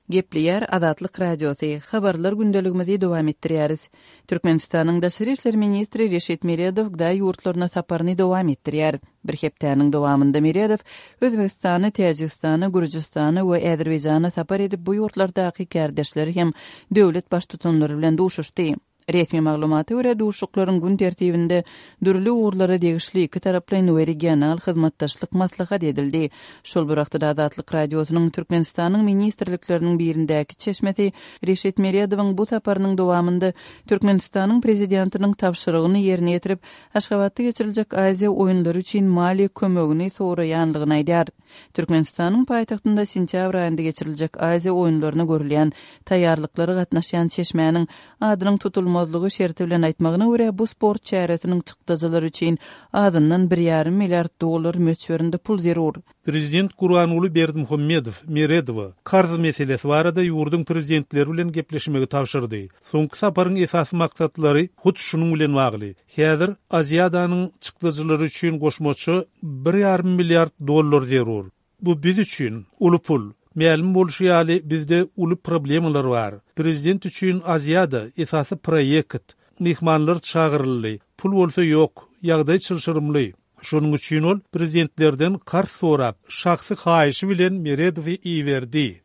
Gepleýär Azatlyk Radiosy, Habarlar gündeligimizi dowam etdirýäris. Türkmenistanyň daşary işler ministri Reşit Meredow gda ýurtlaryna saparyny dowam etdirýär. Bir hepdäniň dowamynda Meredow Özbegistana, Täjigistana, Gürjüstana we Azerbaýjana sapar edip bu ýurtlardaky kärdeşleri hem döwlet baştutanlary bilen duşuşdy. Resmi maglumata görä, duşuşyklaryň gün tertibinde dürli ugurlara degişli ikitaraplaýyn we regional hyzmatdaşlyk maslahat edildi. Şol bir wagtda-da Azatlyk Radiosynyň Türkmenistanyň ministrlikleriniň birindäki çeşmesi Reşit Meredowyň bu saparynyň dowamynda Türkmenistanyň Prezidentiniň tabşyrygyny ýerine ýetirip, Aşgabatda geçiriljek Aziýa oýunlary üçin maliýe kömegini soraýanlygyny aýdýar. Türkmenistanyň paýtagtynda sentýabr aýynda geçiriljek Aziýa oýunlaryna görülýän taýýarlyklara gatnaşýan çeşmäniň adynyň tutulmazlygy şerti bilen aýtmagyna görä, bu sport çäresiniň çykdajylary üçin azyndan bir ýarym milliard dollar möçberinde pul zerur. Prezident Gurbanguly Berdimuhamedow Meredowa karz meselesi barada ýurduň prezidentleri bilen gepleşmegi tabşyrdy. Soňky saparyň esasy maksatlary hut şunuň bilen bagly. Häzir Aziadanyň çykdajylary üçin goşmaça bir ýarym milliard dollar zerur. Bu biz üçin uly pul. Mälim bolşy ýaly, bizde uly problemalar bar. Prezident üçin Aziada esasy proýekt. Myhmanlar çagyryldy. Pul bolsa ýok. Ýagdaý çylşyrymly. Şonuň üçin ol prezidentlerden karz sorap, şahsy haýyşy bilen Meredowy iberdi.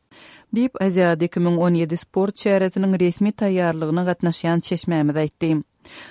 Diýip, Aziada 2017 sport çäresiniň resmi taýýarlygyna gatnaşýan çeşmämiz aýtdy.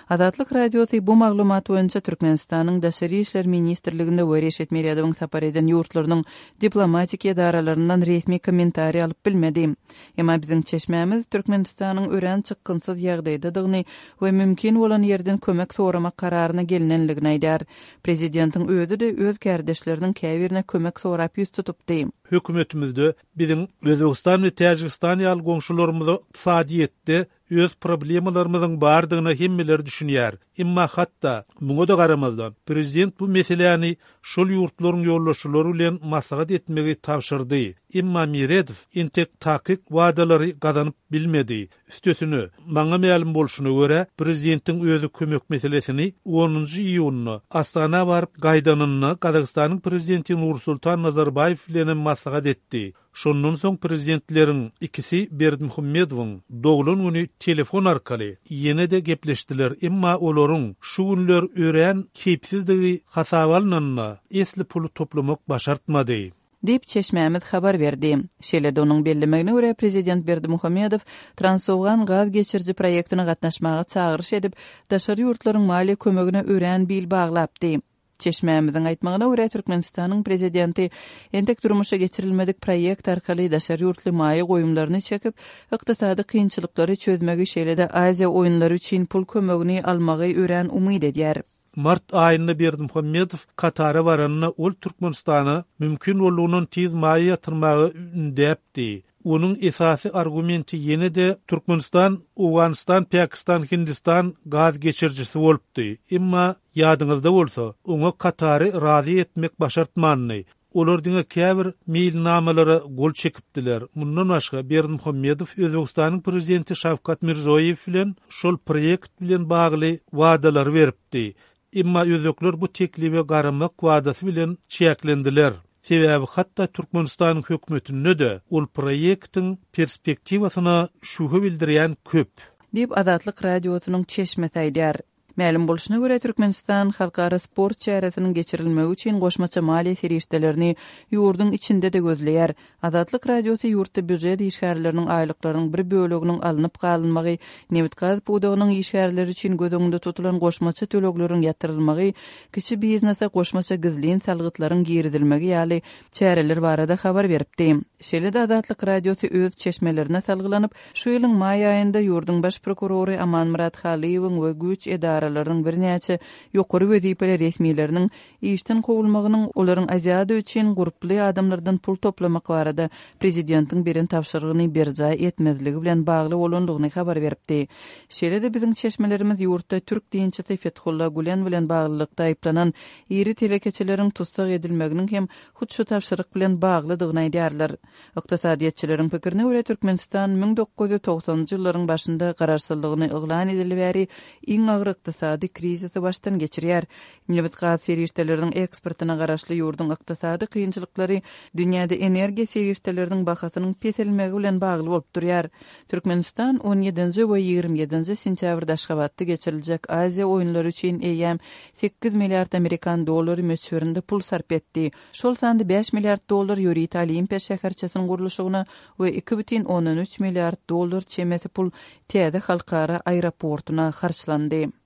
Azatlyk Radiosy bu maglumat boýunça Türkmenistanyň Daşary işler ministrliginde we Reşit Meredowyň sapar eden ýurtlarynyň diplomatik edaralaryndan resmi kommentariý alyp bilmedi. Emma biziň çeşmämiz Türkmenistanyň örän çykgynsyz ýagdaýdadygyny we mümkin bolan ýerden kömek soramak kararyna gelnenligini aýdýar. Prezidentiň özi-de öz kärdeşleriniň käbirine kömek sorap ýüz tutupdy. Hökümetimizde biziň Özbegistan we Täjigistan ýaly goňşularymyza ykdysadyýetde Öz problemalarymyzyň bardygyna hemmeler düşünýär. Emma hatda, muňa-da garamazdan, prezident bu meseläni şol ýurtlaryň ýolbaşçylary bilen maslahat etmegi tabşyrdy. Emma Meredow entek takyk wadalary gazanyp bilmedi. Üstesine, maňa mälim bolşuna görä, prezidentiň özi kömek meselesini onunjy iýunda Astana baryp gaýdanynda Gazagystanyň prezidenti Nursultan Nazarbaýew bilenem maslahat etdi. Şondan soň prezidentleriň ikisi Berdimuhamedowyň doglan güni telefon arkaly ýene-de gepleşdiler, emma olaryň şu günler örän keýpsizdigi hasaba alnanda, esli puly toplamak başartmady. Diýip, çeşmämiz habar berdi. Şeýle-de onuň bellemegine görä, prezident Berdimuhamedow Transowgan gaz geçiriji proýektine gatnaşmaga çagyryş edip, daşary ýurtlaryň maliýe kömegine örän bil baglapdy. Çeşmämiziň aýtmagyna görä, Türkmenistanyň Prezidenti entek durmuşa geçirilmedik proýekt arkaly daşary ýurtly maýa goýumlaryny çekip, ykdysady kynçylyklary çözmegi, şeýle-de Aziýa oýunlary üçin pul kömegini almagy örän umyt edýär. Mart aýynda Berdimuhamedow Katara baranda ol Türkmenistana mümkin boldugyndan tiz maýa ýatyrmagy ündäpdi. Onuň esasy argumenti ýene-de Türkmenistan, Owganystan, Pakistan, Hindistan gaz geçirijisi bolupdy. Emma, ýadyňyzda bolsa, oňa Katary razy etmek başartmandy. Olar diňe käbir meýilnamalara gol çekipdiler. Mundan başga, Berdimuhamedow Özbegistanyň prezidenti Şawkat Mirzoýew bilen şol proýekt bilen bagly wadalary beripdi. Emma özbekler bu teklibe garamak wadasy bilen çäklendiler. Sebäbi hatda Türkmenistanyň hökümetinde-de ol proýektiň perspektiwasyna şübhe bildirýän köp. Diýip, Azatlyk Radiosynyň çeşmesi aýdýar. Mälim bolşuna görä, Türkmenistan halkara sport çäresiniň geçirilmegi üçin goşmaça maliýe serişdelerini ýurduň içinde-de gözleýär. Azatlyk Radiosy ýurtda býujet işgärleriniň aýlyklarynyň bir böleginiň alnyp galynmagy, nebit-gaz pudagynyň işgärleri üçin göz öňünde tutulan goşmaça tölegleriň ýatyrylmagy, kiçi biznese goşmaça gizlin salgytlaryň girizilmegi ýaly çäreler barada habar beripdi. Şeýle-de Azatlyk Radiosy öz çeşmelerine salgylanyp, şu ýylyň maý aýynda ýurduň baş prokurory Amanmyrat Halyýewiň we güýç edaralarynyň birnäçe ýokary wezipeli resmileriniň Işden kowulmagynyň olaryň Aziada üçin gurply adamlardan pul toplamak barada prezidentiň beren tabşyrygyny berjaý etmezligi bilen bagly bolandygyny habar beripdi. Şeýle-de biziň çeşmelerimiz ýurtda türk dinçisi Fethulla Gülen bilen baglylykda aýyplanan iri telekeçileriň tussag edilmeginiň hem hut şu tabşyryk bilen baglydygyny aýdýarlar. Ykdysadyýetçileriň pikirine görä, Türkmenistan 1990-njy ýyllaryň başynda garaşsyzlygyny yglan edeli bäri iň agyr ykdysady krizisi başdan geçirýär. Nebit-gaz serişdeleriniň eksportyna garaşly ýurduň ykdysady kynçylyklary dünýäde energiýa. serişdeleriniň bahasynyň peselmegi bilen bagly bolup durýar. Türkmenistan on ýedinji we 27-nji sentýabrda Aşgabatda geçiriljek Aziýa oýunlary üçin eýýäm 8 milliard amerikan dollary möçberinde pul sarp etdi. Şol sanda 5 milliard dollar ýörite Olimpiýa şäherçesiniň gurluşygyna we 2,3 milliard dollar çemesi pul täze halkara aeroportuna harçlandy.